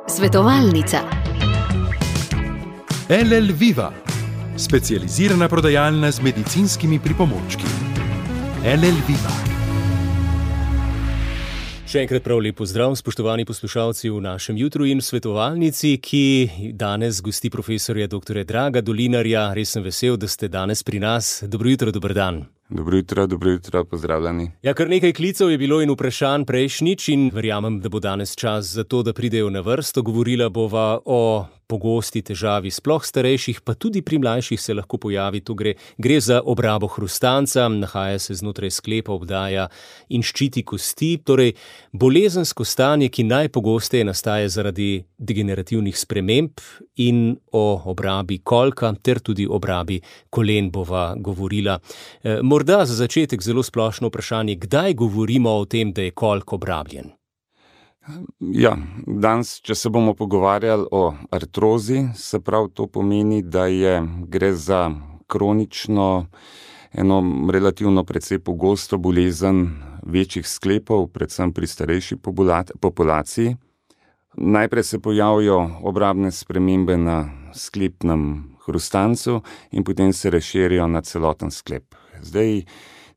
Svetovalnica. LL Viva, specializirana prodajalna z medicinskimi pripomočki. LL Viva. Še enkrat prav lep pozdrav, spoštovani poslušalci v našem jutru in svetovalnici, ki danes gosti profesorja dr. Draga Dolinarja. Res sem vesel, da ste danes pri nas. Dobro jutro, dober dan. Dobro jutro, pozdravljeni. Ja, kar nekaj klicev je bilo in vprašanj prejšnjič in verjamem, da bo danes čas za to, da pridejo na vrsto. Govorila bova o pogosti težavi sploh starejših, pa tudi pri mlajših se lahko pojavi. Tu gre za obrabo hrustanca, nahaja se znotraj sklepa, obdaja in ščiti kosti, torej bolezensko stanje, ki najpogosteje nastaja zaradi degenerativnih sprememb, in o obrabi kolka ter tudi obrabi kolen bova govorila. Morda za začetek zelo splošno vprašanje, kdaj govorimo o tem, da je kolk obrabljen? Ja, danes, če se bomo pogovarjali o artrozi, se pravi to pomeni, da gre za kronično, eno relativno precej pogosto bolezen večjih sklepov, predvsem pri starejši populaciji. Najprej se pojavijo obrabne spremembe na sklepnem hrustancu in potem se razširijo na celoten sklep. Zdaj,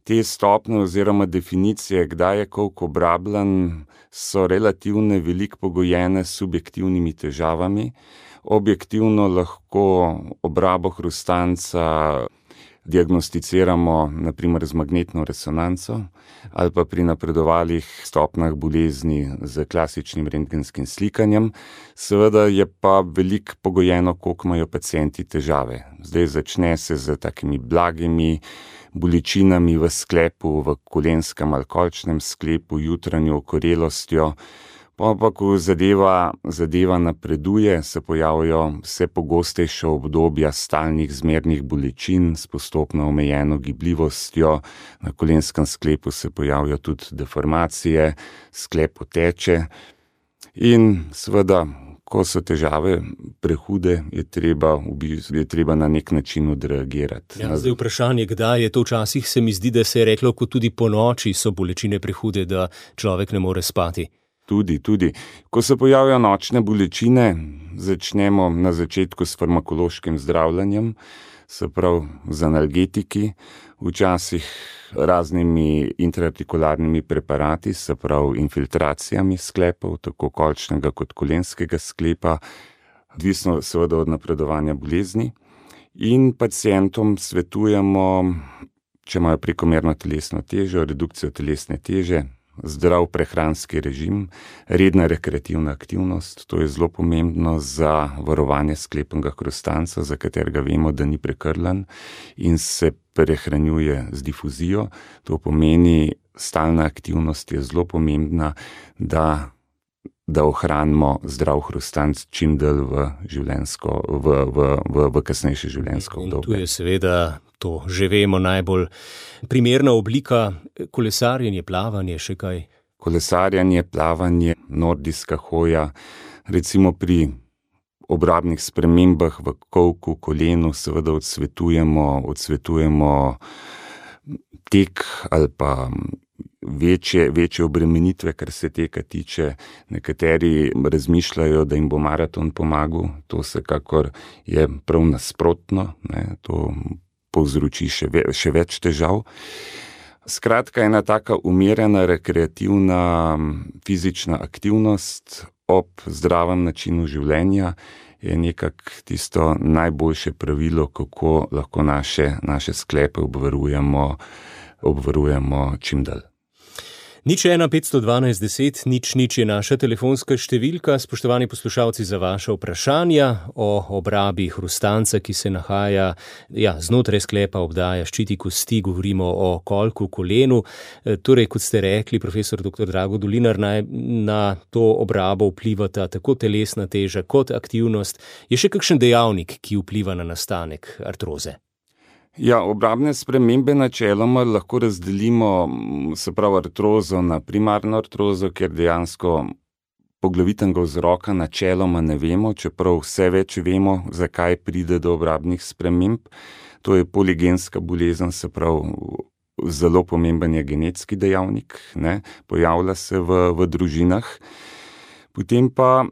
te stopnje oziroma definicije, kdaj je kolk obrabljen, so relativno veliko pogojene s subjektivnimi težavami. Objektivno lahko obrabo hrustanca diagnosticiramo na primer z magnetno resonanco ali pa pri napredovalih stopnjah bolezni z klasičnim rentgenskim slikanjem. Seveda je pa veliko pogojeno, koliko imajo pacienti težave. Zdaj začne se z takimi blagimi bolečinami v sklepu, v kolenskem ali kolčnem sklepu, jutranjo okorelostjo. Pa ko zadeva napreduje, se pojavijo vse pogostejša obdobja stalnih zmernih bolečin s postopno omejeno gibljivostjo. Na kolenskem sklepu se pojavijo tudi deformacije, sklep oteče in seveda, ko so težave prehude, je treba na nek način odreagirati. Ja, zdaj vprašanje, kdaj je to včasih, se mi zdi, da se je reklo, kot tudi po noči so bolečine prehude, da človek ne more spati. Tudi. Ko se pojavijo nočne bolečine, začnemo na začetku s farmakološkim zdravljenjem, se pravi z analgetiki, včasih raznimi intraartikularnimi preparati, se pravi infiltracijami sklepov, tako kolčnega kot kolenskega sklepa, odvisno seveda od napredovanja bolezni. In pacientom svetujemo, če imajo prekomerno telesno težo, redukcijo telesne teže, zdrav prehranski režim, redna rekreativna aktivnost, to je zelo pomembno za varovanje sklepnega hrustanca, za katerega vemo, da ni prekrlan in se prehranjuje z difuzijo. To pomeni, stalna aktivnost je zelo pomembna, da ohranimo zdrav hrustanc čim dlje v kasnejše življenjsko obdobje. In tu je seveda, to že vemo, najbolj primerna oblika kolesarjenje, plavanje, še kaj? Kolesarjenje, plavanje, nordijska hoja, recimo pri obrabnih spremembah v kolku, kolenu, seveda odsvetujemo tek ali pa večje obremenitve, kar se teka tiče. Nekateri razmišljajo, da jim bo maraton pomagal, to vsekakor je prav nasprotno, to povzroči še več težav. Skratka, ena taka umirjena, rekreativna fizična aktivnost ob zdravem načinu življenja je nekako tisto najboljše pravilo, kako lahko naše sklepe obvarujemo čim dalj. 01 512 10 00 je naša telefonska številka. Spoštovani poslušalci, za vaša vprašanja o obrabi hrustanca, ki se nahaja znotraj sklepa, obdaja, ščiti kosti, govorimo o kolku, kolenu. Torej, kot ste rekli, profesor dr. Drago Dolinar, na to obrabo vplivata tako telesna teža kot aktivnost. Je še kakšen dejavnik, ki vpliva na nastanek artroze? Ja, obrabne spremembe načeloma lahko razdelimo, se pravi artrozo na primarno artrozo, kjer dejansko poglavitnega vzroka načeloma ne vemo, čeprav vse več vemo, zakaj pride do obrabnih sprememb. To je poligenska bolezen, se pravi zelo pomemben je genetski dejavnik, ne, pojavlja se v družinah. Potem pa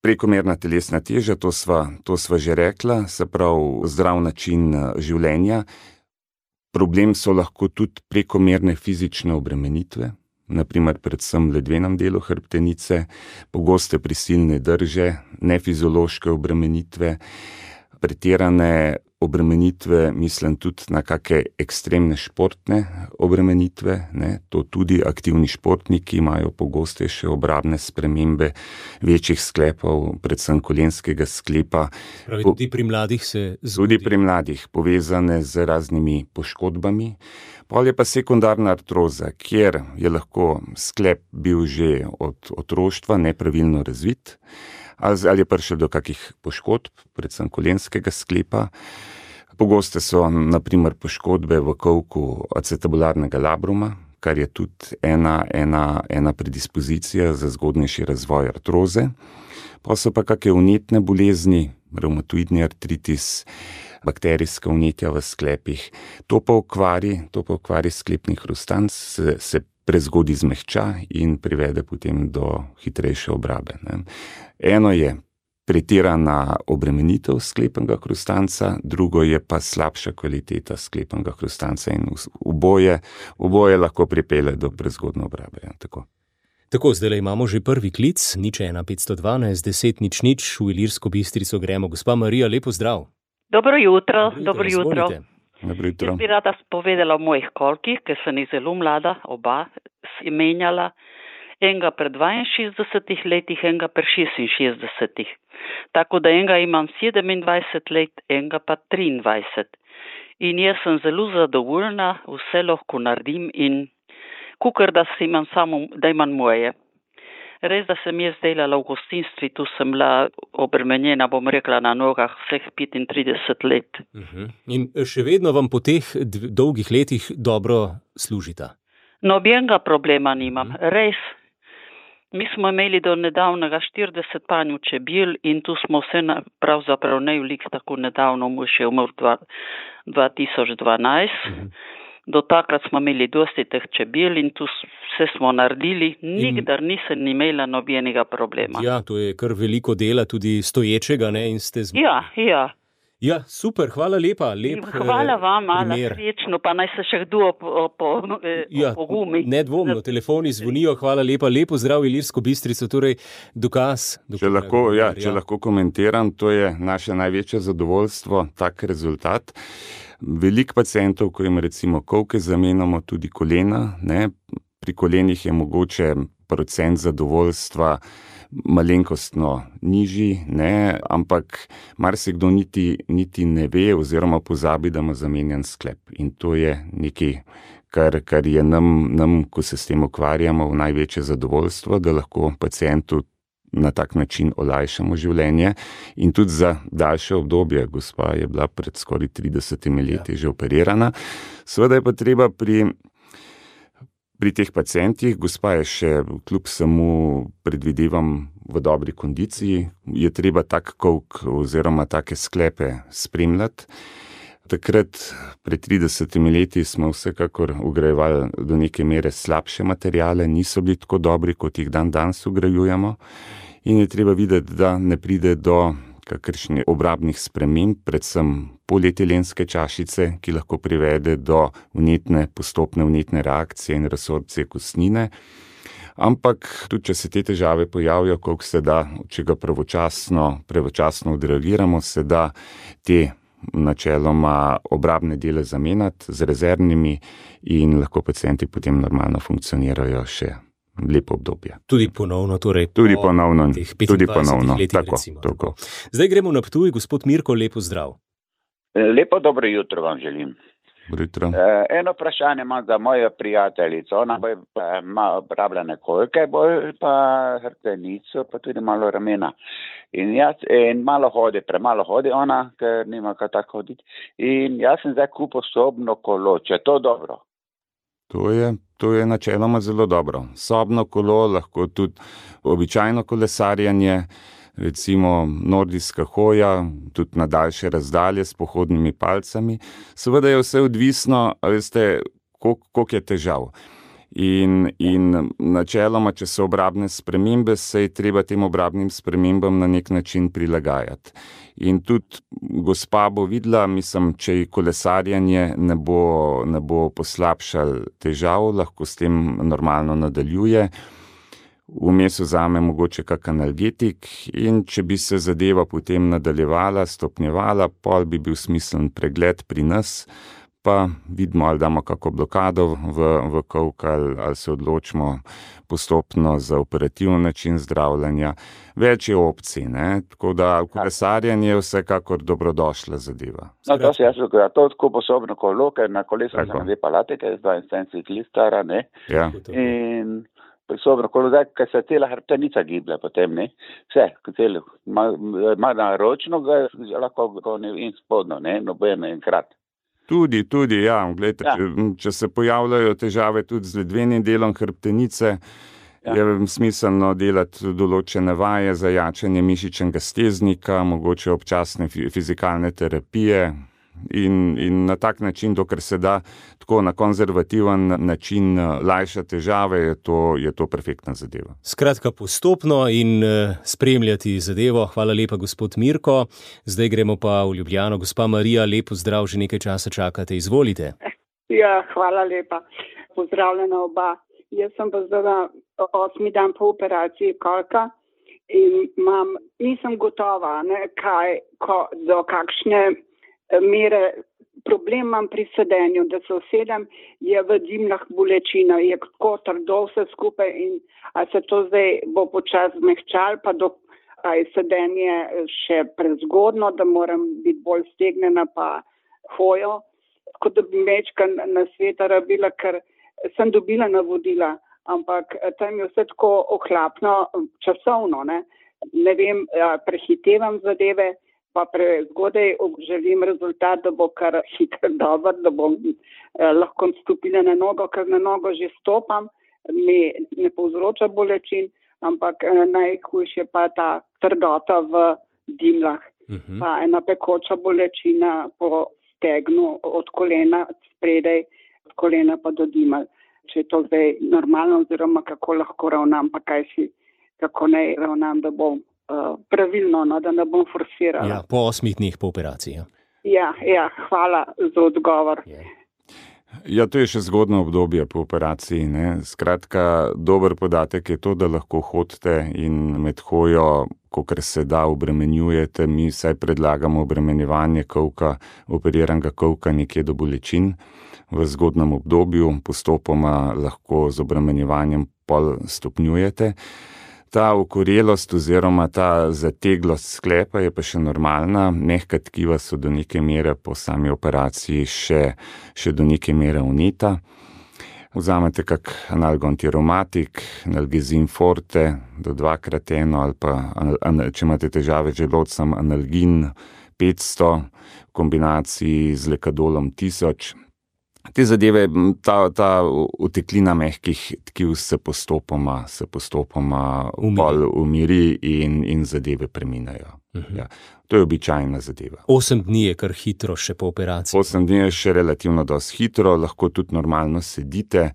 prekomerna telesna teža, to sva že rekla, se pravi zdrav način življenja. Problem so lahko tudi prekomerne fizične obremenitve, naprimer predvsem v ledvenem delu hrbtenice, pogoste prisilne drže, nefiziološke obremenitve, pretirane obremenitve, mislim tudi na kakšne ekstremne športne obremenitve, ne, to tudi aktivni športniki imajo pogostejše obrabne spremembe večjih sklepov, predvsem kolenskega sklepa. Pravi, tudi pri mladih se zgodi. Tudi pri mladih, povezane z raznimi poškodbami. Pol je pa sekundarna artroza, kjer je lahko sklep bil že od otroštva nepravilno razvit, ali je prišel do kakih poškodb, predvsem kolenskega sklepa. Pogoste so naprimer poškodbe v kolku acetabularnega labruma, kar je tudi ena predispozicija za zgodnejši razvoj artroze. Pa so pa kakšne vnetne bolezni, revmatoidni artritis, bakterijska vnetja v sklepih. To pa okvari sklepni hrustanc, se prezgodaj zmehča in privede potem do hitrejše obrabe, ne. Eno je pretirana obremenitev sklepnega hrustanca, drugo je pa slabša kvaliteta sklepnega hrustanca in oboje lahko pripelje do prezgodne obrabe. Ja, Tako, zdaj imamo že prvi klic, 01512 10 00 v Ilirsko Bistrico gremo. Gospa Marija, lepo zdrav. Dobro jutro. Dobro jutro. Jaz bi rada povedala o mojih kolkih, ker sem jih zelo mlada, oba menjala. Enega pri 62 letih, enega pri 66. Tako da enega imam 27 let, enega pa 23. In jaz sem zelo zadovoljna, vse lahko naredim in kukor da imam samo, da imam moje. Res, da sem jaz delala v gostinstvu, tu sem bila obremenjena, bom rekla, na nogah vseh 35 let. In še vedno vam po teh dolgih letih dobro služita? Nobenega problema nimam, res. Mi smo imeli do nedavnega 40 panjev čebel in tu smo vse pravzaprav najveliko tako nedavno, muž je umrl 2012. Do takrat smo imeli dosti teh čebel in tu vse smo naredili, nikdar nisem imela nobenega problema. Ja, to je kar veliko dela, tudi stoječega, ne, in ste Ja. Ja, super, hvala lepa. Hvala vam, srečno, pa naj se še kdo pogumi. Nedvomno, telefoni zvonijo, hvala lepa, lepo zdrav Ilirsko Bistrico, torej dokaz. Če lahko komentiram, to je naše največje zadovoljstvo, tak rezultat. Veliko pacientov, ko jim recimo kolke zamenjamo, tudi kolena, ne, pri kolenih je mogoče procent zadovoljstva malenkostno nižji, ne, ampak marsikdo niti ne ve oziroma pozabi, da ima zamenjan sklep. In to je nekaj, kar je nam, ko se s tem ukvarjamo, v največje zadovoljstvo, da lahko pacientu na tak način olajšamo življenje in tudi za daljše obdobje. Gospa je bila pred skoraj 30 leti že operirana. Seveda je pa treba pri teh pacientih, gospa je še kljub samo predvidevam v dobri kondiciji, je treba tak kolk oziroma take sklepe spremljati. Takrat, pred 30 leti, smo vsekakor vgrajevali do neke mere slabše materijale, niso bili tako dobri, kot jih danes vgrajujemo. In je treba videti, da ne pride do kakršnih obrabnih sprememb, predvsem polietilenske čašice, ki lahko privede do postopne vnetne reakcije in resorpcije kostnine. Ampak tudi, če se te težave pojavijo, koliko se da, če ga pravočasno odreagiramo, se da te načeloma obrabne dele zamenjati z rezervnimi in lahko pacienti potem normalno funkcionirajo še lepo obdobje. Tudi ponovno, torej tudi ponovno, letih, tako. Zdaj gremo na Ptuj, gospod Mirko, lepo zdrav. Lepo dobro jutro vam želim. Eno vprašanje imam za mojo prijateljico, ona ima obrabljene kolke, bolj pa hrbtenico, pa tudi malo ramena. In malo hodi, premalo hodi ona, ker nima kaj tako hoditi. In jaz sem zdaj kupil sobno kolo, če je to dobro? To je načeloma zelo dobro. Sobno kolo, lahko tudi običajno kolesarjenje, recimo nordijska hoja, tudi na daljše razdalje s pohodnimi palcami. Seveda je vse odvisno, veste, koliko je težav. In načeloma, če so obrabne spremembe, se je treba tem obrabnim spremembam na nek način prilagajati. In tudi gospa bo videla, mislim, če ji kolesarjenje ne bo poslabšal težav, lahko s tem normalno nadaljuje. Vmes vzame mogoče kak analgetik in če bi se zadeva potem nadaljevala, stopnjevala, pol bi bil smiseln pregled pri nas, pa vidimo, ali damo kako blokado v kolk, ali se odločimo postopno za operativen način zdravljenja. Več je opcij, ne? Tako da kolesarjenje je vsekakor dobrodošla zadeva. No, to se jaz zgodila, to tako posobno kolo, ker na kolesu sem 2 palate, ker je 72 let stara, ne? Ja. In posobno kolo, zdaj, ker se cela hrbtenica giblja potem, ne? Vse, ima na ročno, ga lahko in spodno, ne? Nobeno enkrat. Tudi, ja. Glejte, če se pojavljajo težave tudi z ledvenim delom hrbtenice, je smiselno delati določene vaje za jačanje mišičnega steznika, mogoče občasne fizikalne terapije in na tak način, dokler se da tako na konzervativen način lajšati težave, je to perfektna zadeva. Skratka, postopno in spremljati zadevo. Hvala lepa, gospod Mirko. Zdaj gremo pa v Ljubljano. Gospa Marija, lep pozdrav, že nekaj časa čakate. Izvolite. Ja, hvala lepa. Pozdravljena oba. Jaz sem pa zdaj 8. dan po operaciji kolka in nisem gotova, do kakšne mere. Problem imam pri sedenju, da se usedem, je v dimljah bolečina, je tako trdo vse skupaj in a se to zdaj bo počasi zmehčalo, pa je sedenje še prezgodno, da moram biti bolj stegnjena pa hojo, kot da bi mečka na sveta rabila, ker sem dobila navodila, ampak tam je vse tako ohlapno časovno, ne vem, prehitevam zadeve, pa prezgodaj želim rezultat, da bo kar hitro dober, da bom lahko stopila na nogo, ker na nogo že stopam, mi ne povzroča bolečin, ampak najhujše pa ta trdota v dimljah, pa ena pekoča bolečina po stegnu od kolena spredaj, od kolena pa do dimelj. Če je to zdaj normalno, oziroma kako lahko ravnam, pa kako naj ravnam, da bom pravilno, da ne bom forsirala. Ja, po 8 dneh po operaciji. Ja, hvala za odgovor. Ja, to je še zgodno obdobje po operaciji, ne. Skratka, dober podatek je to, da lahko hodite in med hojo, kolikor se da, obremenjujete. Mi vsaj predlagamo obremenjevanje kolka, operiranega kolka nekje do bolečin v zgodnem obdobju, postopoma lahko z obremenjevanjem pol stopnjujete. Ta okorelost oziroma ta zateglost sklepa je pa še normalna, mehka tkiva so do neke mere po sami operaciji še do neke mere vneta. Vzamete kak analgoantiromatik, analgezin forte do 2x1 ali pa, če imate težave z želodcem, analgin 500 v kombinaciji z lekadolom 1000. Te zadeve, ta uteklina mehkih tkiv se postopoma umiri in zadeve preminajo. Ja. To je običajna zadeva. 8 dni je kar hitro še po operaciji. 8 dni je še relativno dosti hitro, lahko tudi normalno sedite.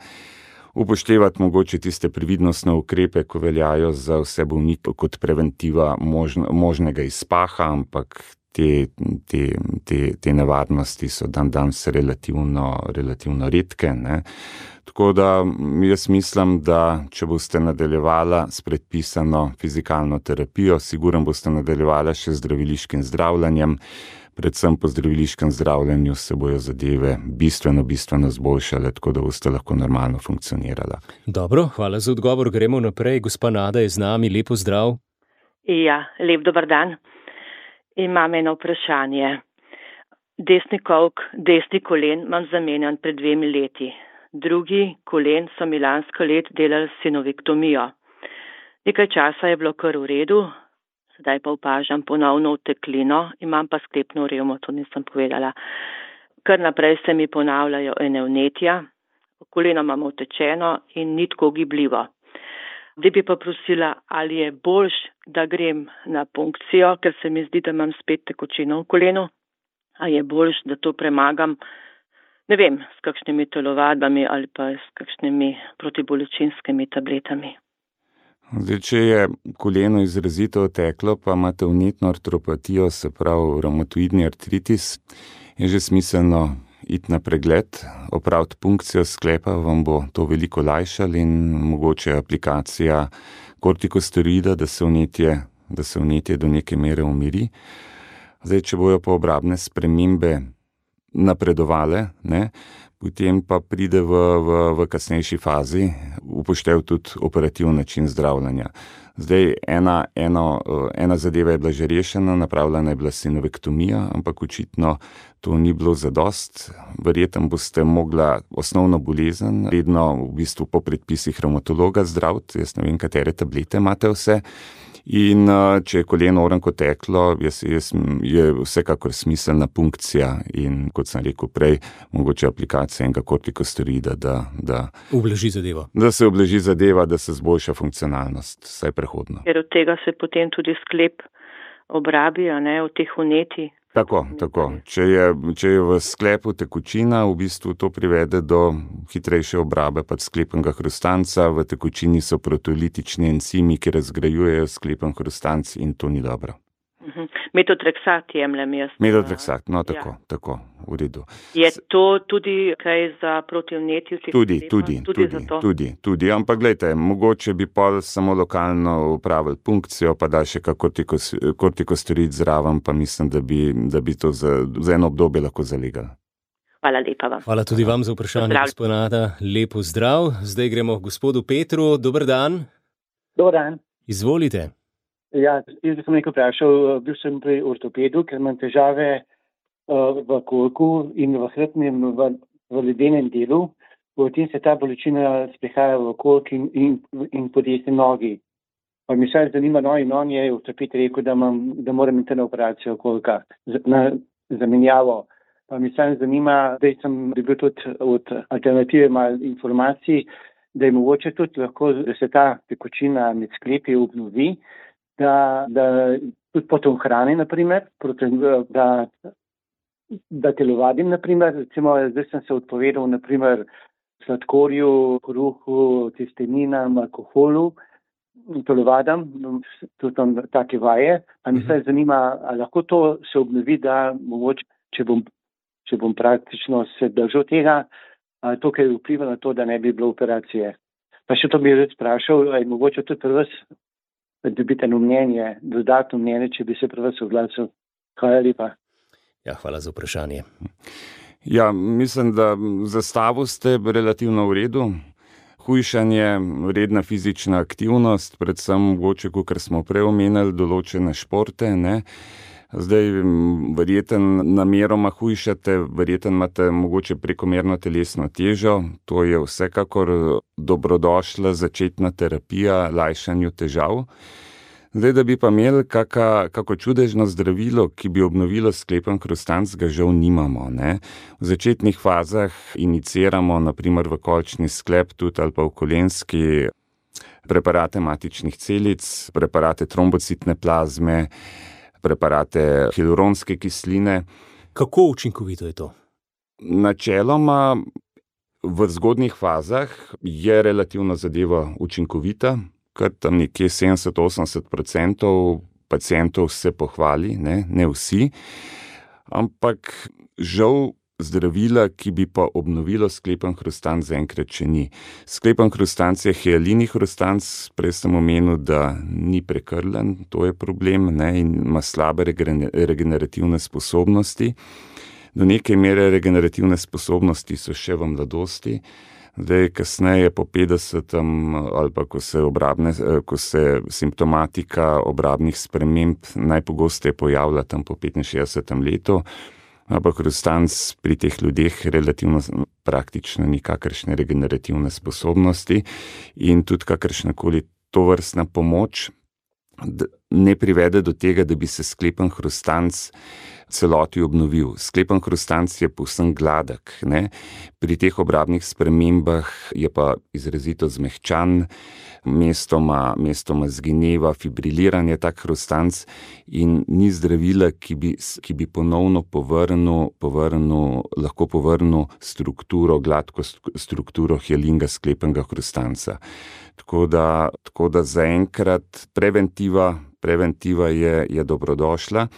Upoštevati mogoče tiste previdnostne ukrepe, ko veljajo za vse bolnike kot preventiva možnega izpaha, ampak te nevarnosti so danes relativno redke, ne. Tako da jaz mislim, da če boste nadaljevala s predpisano fizikalno terapijo, sigurno boste nadaljevala še z zdraviliškim zdravljenjem, predvsem po zdraviliškem zdravljenju se bojo zadeve bistveno zboljšale, tako da boste lahko normalno funkcionirala. Dobro, hvala za odgovor, gremo naprej. Gospa Nada je z nami, lepo zdrav. Ja, lep dober dan. Imam eno vprašanje. Desni kolk, desni kolen imam zamenjan pred 2 leti. Drugi kolen so mi lansko leto delali sinovektomijo. Nekaj časa je bilo kar v redu, zdaj pa opažam ponovno oteklino, imam pa sklepno revmo, to nisem povedala. Kar naprej se mi ponavljajo ene vnetja, koleno imam otečeno in ni tako gibljivo. Zdaj bi pa prosila, ali je boljš, da grem na punkcijo, ker se mi zdi, da imam spet tekočino v kolenu, a je boljš, da to premagam, ne vem, s kakšnimi telovadbami ali pa s kakšnimi protibolečinskimi tabletami. Zdaj, če je koleno izrazito oteklo, pa imate vnetno artropatijo, se pravi revmatoidni artritis, je že smiselno iti na pregled, opraviti punkcijo sklepa, vam bo to veliko lajšalo in mogoče aplikacija kortikosteroida, da se vnetje do neke mere umiri. Zdaj, če bojo pa obrabne spremembe napredovale, potem pa pride v kasnejši fazi upoštev tudi operativni način zdravljenja. Zdaj, ena zadeva je bila že rešena, napravljena je bila sinovektomija, ampak očitno to ni bilo zadost. Verjetno boste mogla osnovno bolezen redno v bistvu po predpisih revmatologa zdraviti, jaz ne vem, katere tablete imate vse. In če je koleno orenko teklo, je vsekakor smiselna punkcija in, kot sem rekel prej, mogoče aplikacija enega kortikosteroida, da ublaži zadevo. Da se ublaži zadeva, da se zboljša funkcionalnost, vsaj prehodno. Ker od tega se potem tudi sklep obrabi, od teh vnetij. Tako. Če je v sklepu tekočina, v bistvu to privede do hitrejše obrabe sklepnega hrustanca. V tekočini so protolitični encimi, ki razgrajujejo sklepen hrustanc in to ni dobro. Metotrexat jemljem jaz. Metotrexat, tako, v redu. Je to tudi kaj za protivnetje? Tudi, ampak gledajte, mogoče bi pol samo lokalno upravili punkcijo, pa da še kortikosteroid zraven, pa mislim, da bi to za eno obdobje lahko zalegali. Hvala lepa vam. Hvala tudi vam za vprašanje, gospod Nada. Lepo zdrav. Zdaj gremo k gospodu Petru. Dober dan. Dober dan. Izvolite. Ja, jaz sem nekaj vprašal, bil sem pri ortopedu, ker imam težave v kolku in v hrbtnem, v ledenem delu. Potem se ta bolečina sprehaja v kolk in po desni nogi. Pa mi se zanima, in on je ortoped rekel, da moram imeti na operacijo kolka, na zamenjavo. Pa mi se zanima, da sem dobil tudi od alternative malo informacij, da je mogoče tudi lahko, da se ta tekočina med sklepi obnovi, da tudi potom hrani, naprimer, da telovadim, naprimer, recimo, zdaj sem se odpovedal, naprimer, sladkorju, kruhu, testeninam, alkoholu, telovadam, tudi tam take vaje, a mi se zanima, a lahko to se obnovi, da mogoče, če bom praktično se držal tega, to, kar vpliva na to, da ne bi bilo operacije. Pa še to bi res sprašal, je mogoče tudi pri vas dobiti eno mnenje, dodatno mnenje, če bi se pri vas oglasil. Hvala lepa. Ja, hvala za vprašanje. Ja, mislim, da zastavu ste relativno v redu. Hujšanje, redna fizična aktivnost, predvsem mogoče, kot smo prej omenili, določene športe, Zdaj, verjetno nameroma hujšate, verjetno imate mogoče prekomerno telesno težo, to je vsekakor dobrodošla začetna terapija lajšanju težav. Zdaj, da bi pa imeli kako čudežno zdravilo, ki bi obnovilo sklepen hrustanc, ga žal nimamo. V začetnih fazah iniciramo, naprimer v kolčni sklep tudi ali pa v kolenski, preparate matičnih celic, preparate trombocitne plazme, preparate hialuronske kisline. Kako učinkovito je to? Načeloma v zgodnjih fazah je relativno zadeva učinkovita, kar tam nekje 70-80% pacientov se pohvali, ne vsi, ampak žal zdravila, ki bi pa obnovilo sklepen hrustanc, zaenkrat še ni. Sklepen hrustanc je hialini hrustanc, prej sem omenil, da ni prekrlen, to je problem, in ima slabe regenerativne sposobnosti. Do neke mere regenerativne sposobnosti so še v mladosti. Zdaj, kasneje po 50. ali pa ko se simptomatika obrabnih sprememb najpogosteje pojavlja tam po 65. letu, ampak hrustanc pri teh ljudeh relativno praktično nikakršne regenerativne sposobnosti in tudi kakršnakoli tovrstna pomoč ne privede do tega, da bi se sklepen hrustanc celoti obnovil. Sklepen hrustanc je povsem gladek, ne. Pri teh obrabnih spremembah je pa izrazito zmehčan, mestoma zgineva, fibriliran je tak hrustanc in ni zdravila, ki bi ponovno lahko povrnil gladko strukturo hjalinga sklepenega hrustanca. Tako da zaenkrat preventiva je dobrodošla.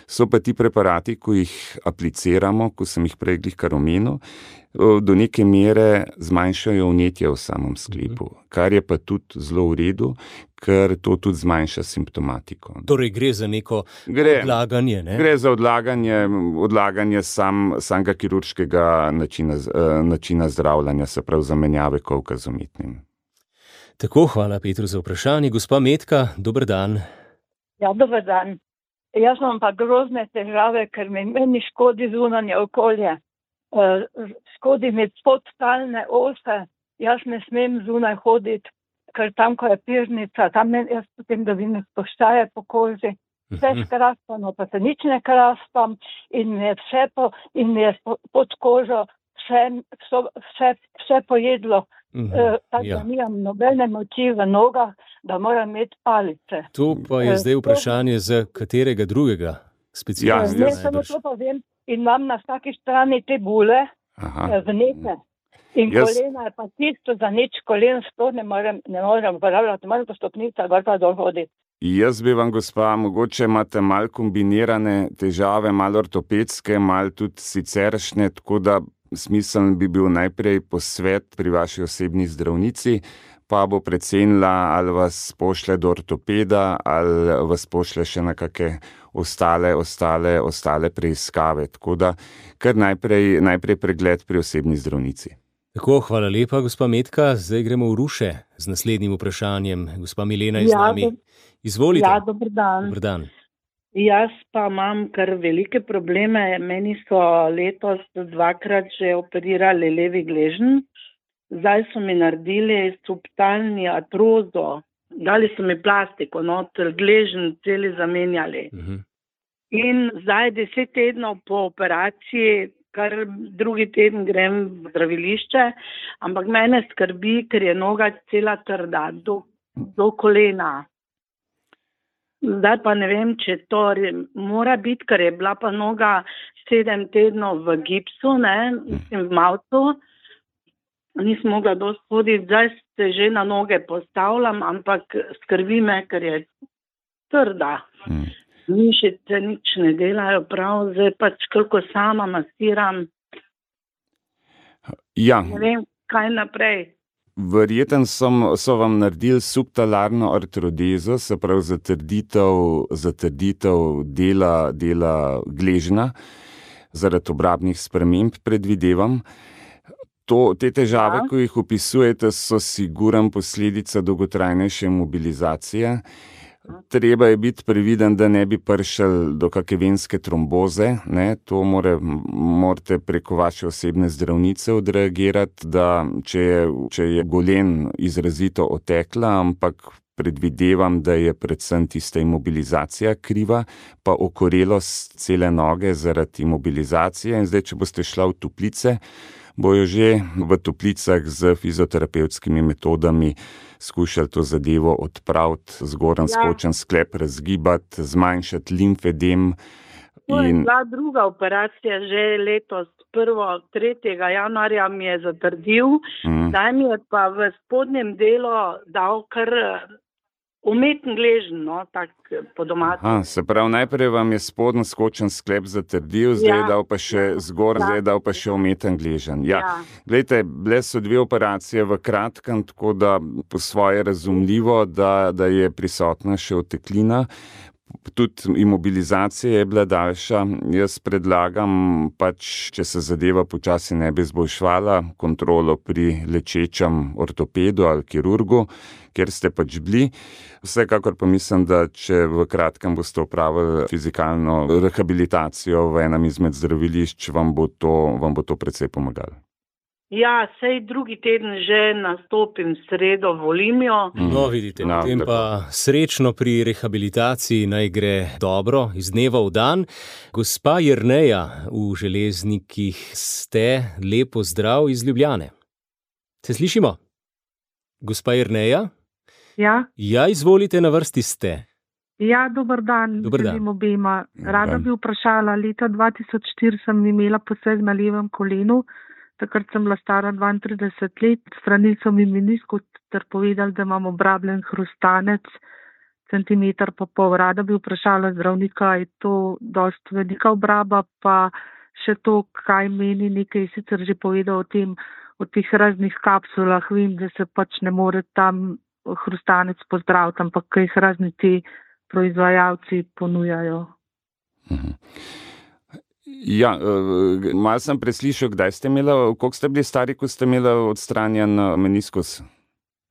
So pa ti preparati, ko jih apliciramo, ko sem jih prej kar omenil, do neke mere zmanjšajo vnetje v samem sklepu, kar je pa tudi zelo v redu, ker to tudi zmanjša simptomatiko. Torej gre za neko odlaganje, ne? Gre za odlaganje samega kirurškega načina zdravljanja, se pravi zamenjave kolka z umetnim. Tako, hvala Petru za vprašanje. Gospa Metka, dober dan. Ja, dober dan. Jaz imam pa grozne težave, ker meni škodi zunanje okolje. Škodi mi podtalne ose, jaz ne smem zunaj hoditi, ker tam, ko je pirnica, tam jaz potem dobim spuščaje po koži. Vse skraspano, pa se nič ne kraspam in mi je pod kožo vse pojedlo. Tako da nimam nobene moči v nogah, da moram imeti palice. To pa je zdaj vprašanje za katerega drugega specialista. Ne, samo to povem, in imam na vsaki strani te bule, vnete. In kolena je pa tisto, za nič kolen sploh ne morem uporabljati, moram po stopnicah gor pa dol hoditi. Jaz bi vam, gospa, mogoče imate malo kombinirane težave, malo ortopedske, malo tudi siceršnje, tako da smiseln bi bil najprej posvet pri vaši osebni zdravnici, pa bo precenila, ali vas pošle do ortopeda, ali vas pošle še na kakšne ostale preiskave. Tako da kar najprej pregled pri osebni zdravnici. Tako, hvala lepa, gospa Metka. Zdaj gremo v Ruše z naslednjim vprašanjem. Gospa Milena je z nami. Izvolite. Ja, dober dan. Dober dan. Jaz pa imam kar velike probleme. Meni so letos 2-krat že operirali levi gleženj. Zdaj so mi naredili subtalni artrozo. Dali so mi plastiko, gleženj celi zamenjali. In zdaj 10 tednov po operaciji, kar drugi teden grem v zdravilišče, ampak mene skrbi, ker je noga cela trda do kolena. Zdaj pa ne vem, če to mora biti, ker je bila pa noga 7 tednov v gipsu, v mavcu. Nisem mogla dosti hoditi, zdaj se že na noge postavljam, ampak skrbi me, ker je trda. Mišice nič ne delajo prav, zdaj pač koliko sama masiram. Ja. Ne vem, kaj naprej. Verjetno so vam naredili subtalarno artrodezo, se pravi zatrditev dela gležna, zaradi obrabnih sprememb predvidevam. Te težave, ko jih opisujete, so sigurno posledica dolgotrajnejše mobilizacije. Treba je biti previden, da ne bi prišel do kakšne venske tromboze. To morate preko vaše osebne zdravnice odreagirati, da če je golen izrazito otekla, ampak predvidevam, da je predvsem tista imobilizacija kriva, pa okorelost cele noge zaradi imobilizacije. In zdaj, če boste šla v toplice, bojo že v toplicah z fizioterapevtskimi metodami skušali to zadevo odpraviti, zgoren skočen sklep razgibati, zmanjšati limfedem. To je bila druga operacija že letos, 3. januarja mi je zatrdil, zdaj mi je pa v spodnjem delu dal kar umeten gleženj, tako po domači. Se pravi, najprej vam je spodnji skočen sklep zatrdil, zdaj je dal pa še zdaj je dal pa še umeten gleženj. Glejte, bile so 2 operacije v kratkem, tako da po svoje razumljivo, da je prisotna še oteklina. Tudi imobilizacija je bila daljša. Jaz predlagam če se zadeva počasi ne bi izboljšvala, kontrolo pri lečečem ortopedu ali kirurgu, kjer ste pač bili. Vsekakor pa mislim, da če v kratkem boste opravili fizikalno rehabilitacijo v enem izmed zdravilišč, vam bo to precej pomagalo. Ja, sej drugi teden že nastopim sredo volimijo. No, vidite, potem pa srečno pri rehabilitaciji, naj gre dobro, iz dneva v dan. Gospa Jerneja, v Železnikih ste, lepo zdrav iz Ljubljane. Se slišimo? Gospa Jerneja? Ja. Ja, izvolite, na vrsti ste. Ja, dober dan. Želim obema. Rada bi vprašala, leta 2004 sem imela poseg na levem kolenu. Takrat sem bila stara 32 let, stranili so mi meniskus ter povedali, da imam obrabljen hrustanec, centimeter pa pol. Rada bi vprašala zdravnika, je to dost velika obraba, pa še to, kaj meni, nekaj sicer že povedal o teh raznih kapsulah. Vem, da se pač ne more tam hrustanec pozdraviti, ampak kaj jih razni ti proizvajalci ponujajo. Ja, malo sem preslišal, kdaj ste imeli, koliko ste bili stari, ko ste imeli odstranjen meniskus?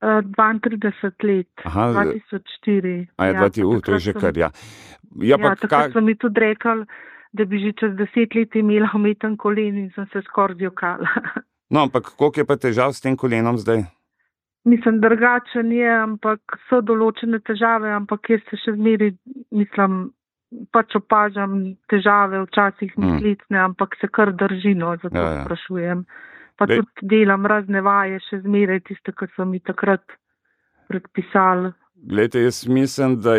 32 let, Aha, 2004. To je že kar, ja. Takrat so mi tudi rekli, da bi že čez 10 let imela umeten kolen in sem se skoraj zjokala. No, ampak koliko je pa težav s tem kolenom zdaj? Mislim, drugačen je, ampak so določene težave, ampak jaz se še zmeri, mislim, pač opažam težave, včasih mislicne, ampak se kar držino, zato sprašujem. Pa tudi delam razne vaje, še zmeraj tiste, ki so mi takrat predpisali. Glejte, jaz mislim, da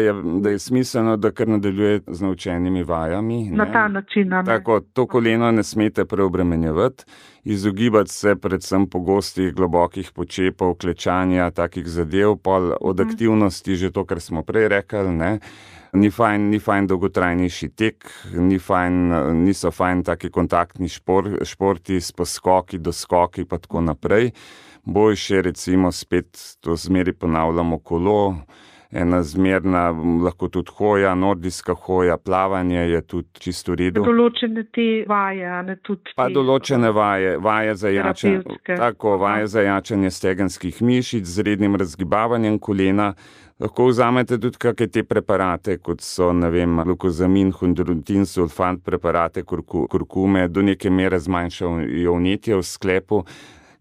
je smiselno, da kar nadaljujete z naučenimi vajami. Na ta način. Tako, to koleno ne smete preobremenjevati, izogibati se predvsem pogostih, globokih počepov, klečanja, takih zadev, pol od aktivnosti, že to, kar smo prej rekli, ne. Ni fajn dolgotrajnejši tek, niso fajn taki kontaktni športi s poskoki, doskoki pa tako naprej. Boljše recimo spet to zmeri ponavljamo kolo, ena zmerna, lahko tudi hoja, nordijska hoja, plavanje je tudi čisto v redu. Določene te vaje, ne tudi pa določene vaje za jačanje, tako, vaje za jačanje stegenskih mišic z rednim razgibavanjem kolena. Lahko vzamete tudi kakšne te preparate, kot so, ne vem, glukozamin, chondroitin, sulfat, preparate kurkume, do neke mere zmanjšajo vnetje v sklepu,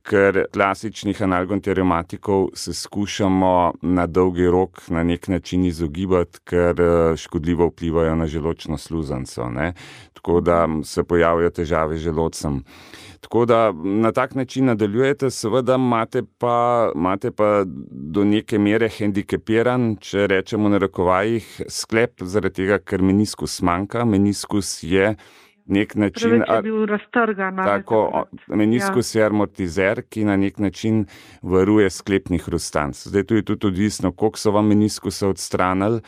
ker klasičnih analgonteriomatikov se skušamo na dolgi rok na nek način izogibati, ker škodljivo vplivajo na želodčno sluznico, ne. Tako da se pojavijo težave z želodcem. Tako da na tak način nadaljujete, seveda imate pa do neke mere hendikepiran, če rečemo na narekovajih, sklep, zaradi tega, ker meniskus manjka. Meniskus je nek način, je bil raztrgan. Tako, meniskus je amortizer, ki na nek način varuje sklepni hrustanec. Zdaj tu je tudi odvisno, koliko so vam meniskusa odstranili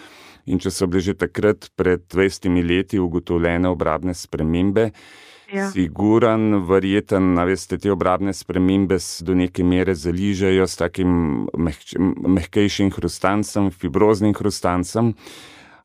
in če so bile že takrat pred 20 leti ugotovljene obrabne spremembe, siguran, verjeten, veste, te obrabne spremembe do neke mere zaližajo s takim mehkejšim hrustancem, fibroznim hrustancem.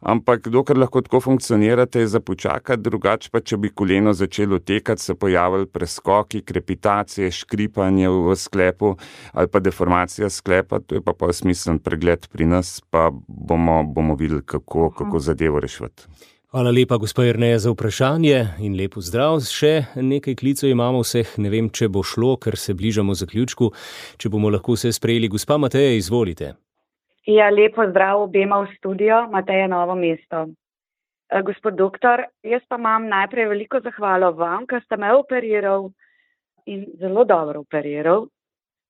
Ampak dokler lahko tako funkcionirate, je za počakati, drugače pa, če bi koleno začelo tekati, se pojavili preskoki, krepitacije, škripanje v sklepu ali pa deformacija sklepa, to je pa smiseln pregled pri nas, pa bomo videli, kako zadevo rešiti. Hvala lepa, gospa Jerneja, za vprašanje in lep pozdrav. Še nekaj klicev imamo vseh, ne vem, če bo šlo, ker se bližamo zaključku, če bomo lahko vse sprejeli. Gospa Mateja, izvolite. Ja, lepo zdrav obema v studio, Mateja, Novo mesto. Gospod doktor, jaz pa imam najprej veliko zahvalo vam, ker ste me operiral in zelo dobro operiral.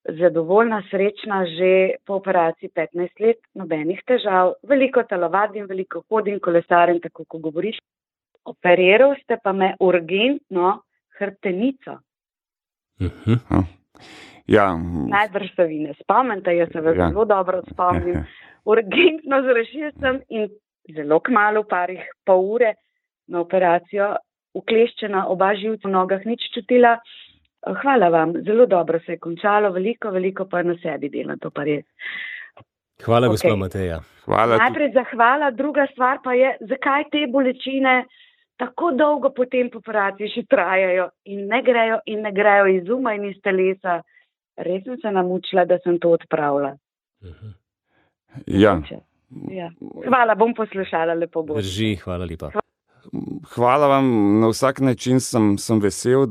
Zadovoljna, srečna, že po operaciji 15 let, nobenih težav, veliko telovadim, veliko hodim, kolesarim, tako ko govoriš. Operiral ste pa me urgentno hrbtenico. Ja. Najbrž se vi ne spomnite, jaz se zelo dobro spomnim. Urgentno zrešil sem in zelo kmalu, pol ure na operacijo, ukleščena, oba živca v nogah, nič čutila. Hvala vam, zelo dobro se je končalo, veliko pa na sebi delam, to pa res. Hvala, gospa Mateja. Najprej zahvala, druga stvar pa je, zakaj te bolečine tako dolgo po tem operaciji še trajajo in ne grejo iz uma in iz telesa. Res sem se namučila, da sem to odpravila. Ja. Hvala, bom poslušala, lepo bo. Drži, hvala lepa. Hvala vam, na vsak način sem vesel,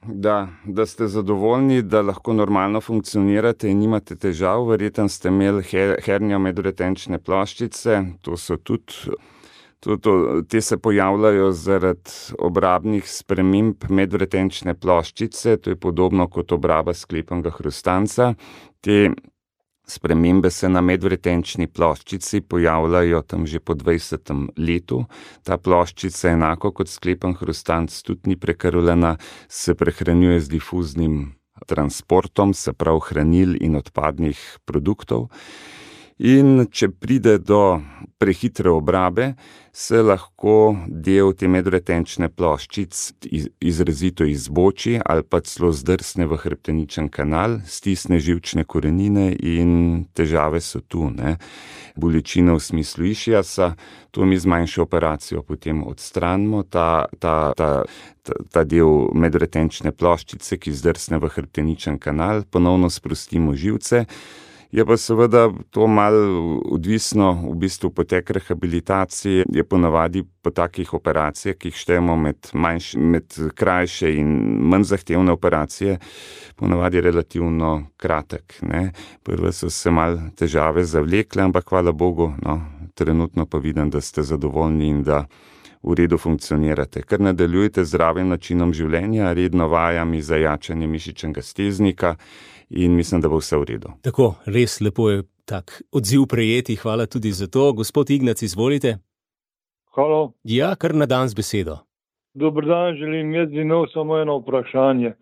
da ste zadovoljni, da lahko normalno funkcionirate in nimate težav. Verjetno ste imeli hernijo medretenčne ploščice, to so tudi. Te se pojavljajo zaradi obrabnih sprememb medretenčne ploščice, to je podobno kot obraba sklepnega hrustanca. Te spremembe se na medretenčni ploščici pojavljajo tam že po 20. letu. Ta ploščica, enako kot sklepen hrustanc, tudi ni prekrvljena, se prehranjuje z difuznim transportom, se pravi hranil in odpadnih produktov. In če pride do prehitre obrabe, se lahko del te medretenčne ploščic izrazito izboči ali pa celo zdrsne v hrbteničen kanal, stisne živčne korenine in težave so tu. Bolečina v smislu išiasa, to mi z manjšo operacijo potem odstranimo, ta del medretenčne ploščice, ki zdrsne v hrbteničen kanal, ponovno sprostimo živce. Je pa seveda to malo odvisno, v bistvu potek rehabilitacije je ponavadi po takih operacijah, ki jih štejemo med krajše in manj zahtevne operacije, ponavadi relativno kratek. Prvo so se malo težave zavlekle, ampak hvala Bogu, trenutno pa vidim, da ste zadovoljni in da v redu funkcionirate. Ker nadaljujete z zdravim načinom življenja, redno vajami za jačanje mišičnega steznika, in mislim, da bo vse v redu. Tako, res lepo je tak odziv prejeti, hvala tudi za to. Gospod Ignac, izvolite. Halo. Ja, kar na dan z besedo. Dober dan, želim jaz imel samo eno vprašanje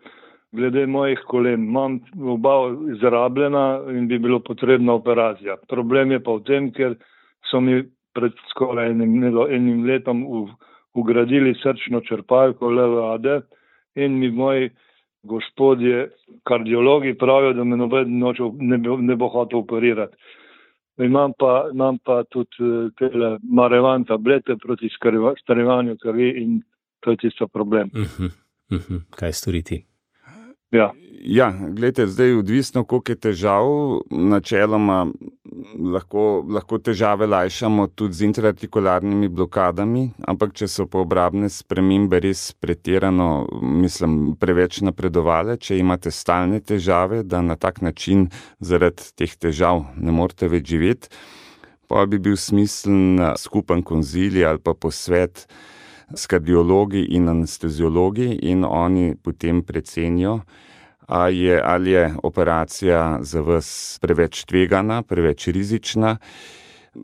glede mojih kolen. Imam oba izrabljena in bi bilo potrebna operacija. Problem je pa v tem, ker so mi pred skoraj enim letom ugradili srčno črpalko leve ade in mi moji gospodje kardiologi pravijo, da me noben ne bo hotel operirati. Imam pa tudi tele Marevan tablete proti starevanju krvi in to je tisto problem. Kaj storiti? Ja, gledajte, zdaj odvisno, koliko je težav, načeloma lahko težave lajšamo tudi z intraartikularnimi blokadami, ampak če so pa obrabne spremembe res pretirano, preveč napredovale, če imate stalne težave, da na tak način zaradi teh težav ne morete več živeti, pa bi bil smiseln skupen konzilij ali pa posvet s kardiologi in anesteziologi in oni potem precenijo, ali je operacija za vas preveč tvegana, preveč rizična.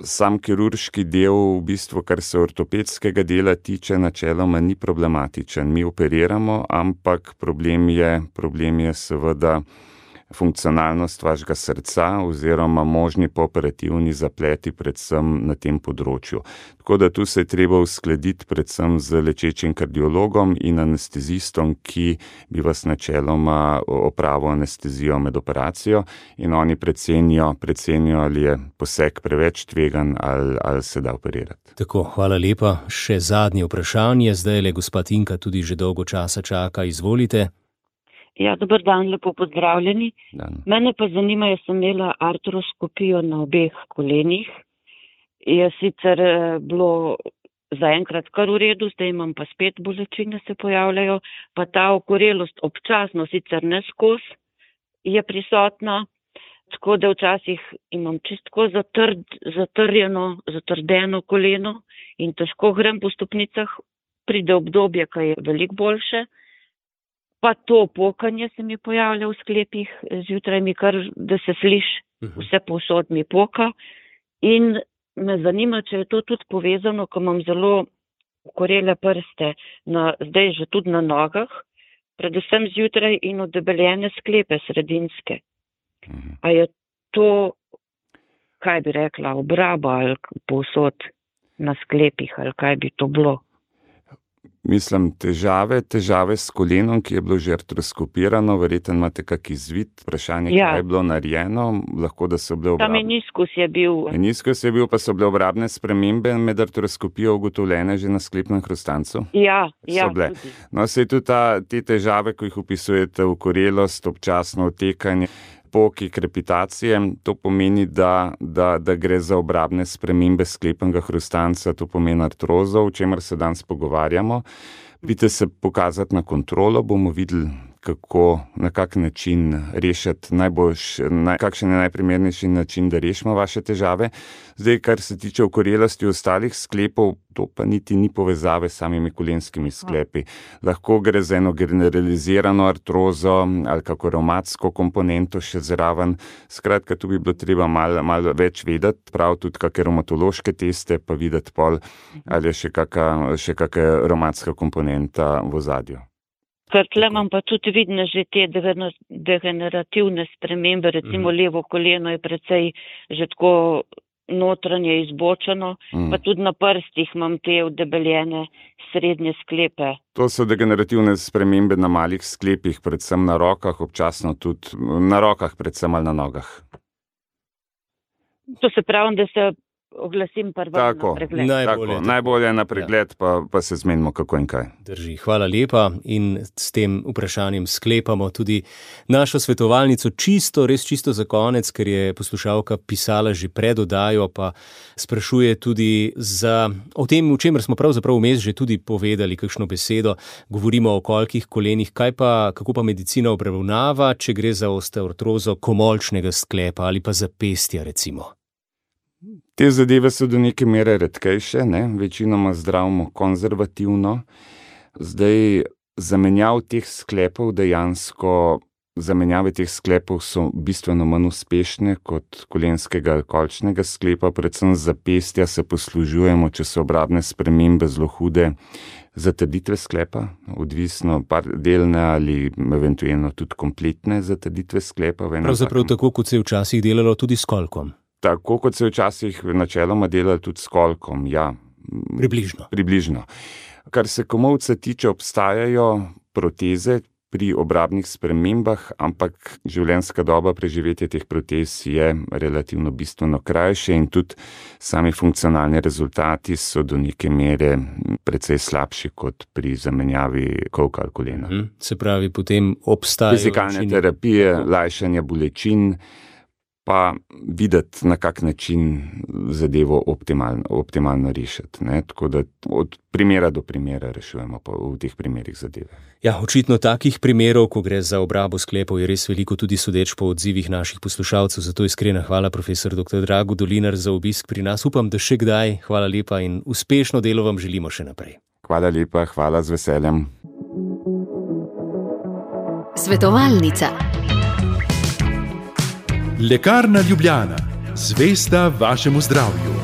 Sam kirurški del, v bistvu, kar se ortopedskega dela tiče, načeloma ni problematičen. Mi operiramo, ampak problem je seveda funkcionalnost vašega srca oziroma možni pooperativni zapleti predvsem na tem področju. Tako da tu se je treba uskladiti predvsem z lečečim kardiologom in anestezistom, ki bi vas načeloma opravil anestezijo med operacijo in oni precenijo, ali je poseg preveč tvegan ali se da operirati. Tako, hvala lepa. Še zadnje vprašanje, zdaj le gospa Tinka tudi že dolgo časa čaka, izvolite. Ja, dober dan, lepo pozdravljeni. Mene pa zanima, jaz sem imela artroskopijo na obeh kolenih. Je sicer bilo zaenkrat kar v redu, zdaj imam pa spet bolečine se pojavljajo, pa ta okorelost občasno, sicer ne skozi, je prisotna, tako da včasih imam čistko zatrdeno koleno in težko grem po stopnicah, pride obdobje, ko je veliko boljše. Pa to pokanje se mi pojavlja v sklepih, zjutraj mi kar, da se sliši, vse povsod mi poka. In me zanima, če je to tudi povezano, ko imam zelo okorele prste, zdaj že tudi na nogah, predvsem zjutraj in odebeljene sklepe sredinske. A je to, kaj bi rekla, obraba ali povsod na sklepih, ali kaj bi to bilo? Težave s kolenom, ki je bilo že artroskopirano, verjetno imate kak izvid, vprašanje, kaj je bilo narejeno, lahko da so bile Ta meniskus je bil. Meniskus je bil, pa so bile obrabne spremembe med artroskopijo ugotovljene že na sklepnem hrustancu? Ja, tudi. No, saj tudi te težave, ko jih opisujete, okorelost, občasno otekanje, poki, krepitacije, to pomeni, da gre za obrabne spremembe sklepnega hrustanca, to pomeni artrozo, o čemer se danes pogovarjamo. Pridite se pokazati na kontrolo, bomo videli, kako, na kak način rešiti kakšen je najprimernejši način, da rešimo vaše težave. Zdaj, kar se tiče okorelosti ostalih sklepov, to pa niti ni povezave s samimi kolenskimi sklepi. Lahko gre za eno generalizirano artrozo ali kako revmatsko komponento še zraven. Skratka, tu bi bilo treba malo več vedeti, prav tudi kakšne revmatološke teste, pa videti pol, ali je še kakšna revmatska komponenta v ozadju. Ker tle imam pa tudi vidne že te degenerativne spremembe, recimo levo koleno je precej že tako notranje izbočeno, pa tudi na prstih imam te udebeljene srednje sklepe. To so degenerativne spremembe na malih sklepih, predvsem na rokah, občasno tudi na rokah, predvsem ali na nogah. To se pravi, da se oglasim prva na pregled. Najbolje na pregled, pa se zmenimo kako in kaj. Drži, hvala lepa in s tem vprašanjem sklepamo tudi našo svetovalnico res čisto za konec, ker je poslušalka pisala že pred oddajo, pa sprašuje tudi o tem, o čemer smo pravzaprav vmes že tudi povedali kakšno besedo. Govorimo o kolkih kolenih, kako pa medicina obravnava, če gre za osteoartrozo komolčnega sklepa ali pa zapestja recimo. Te zadeve so do neke mere redkejše, večinoma zdravimo konzervativno. Zdaj, zamenjave teh sklepov so bistveno manj uspešne kot kolenskega ali kolčnega sklepa, predvsem zapestja se poslužujemo, če so obrabne spremembe zelo hude, zatrditve sklepa, odvisno delne ali eventualno tudi kompletne zatrditve sklepa. Pravzaprav tako, kot se je včasih delalo tudi s kolkom. Tako, kot se je včasih načeloma delalo tudi s kolkom, ja. Približno. Kar se komolca tiče, obstajajo proteze pri obrabnih spremembah, ampak življenjska doba preživetja teh protez je relativno bistveno krajše in tudi sami funkcionalni rezultati so do neke mere precej slabši kot pri zamenjavi kolka ali kolena. Se pravi, potem obstajajo fizikalne terapije, lajšanja bolečin, pa videti, na kak način zadevo optimalno rešiti. Tako da od primera do primera rešujemo pa v teh primerih zadeve. Ja, očitno takih primerov, ko gre za obrabo sklepov, je res veliko, tudi sodeč po odzivih naših poslušalcev. Zato iskrena hvala, profesor dr. Drago Dolinar, za obisk pri nas. Upam, da še kdaj. Hvala lepa in uspešno delo vam želimo še naprej. Hvala lepa, hvala, z veseljem. Svetovalnica. Lekarna Ljubljana, zvesta vašemu zdravju.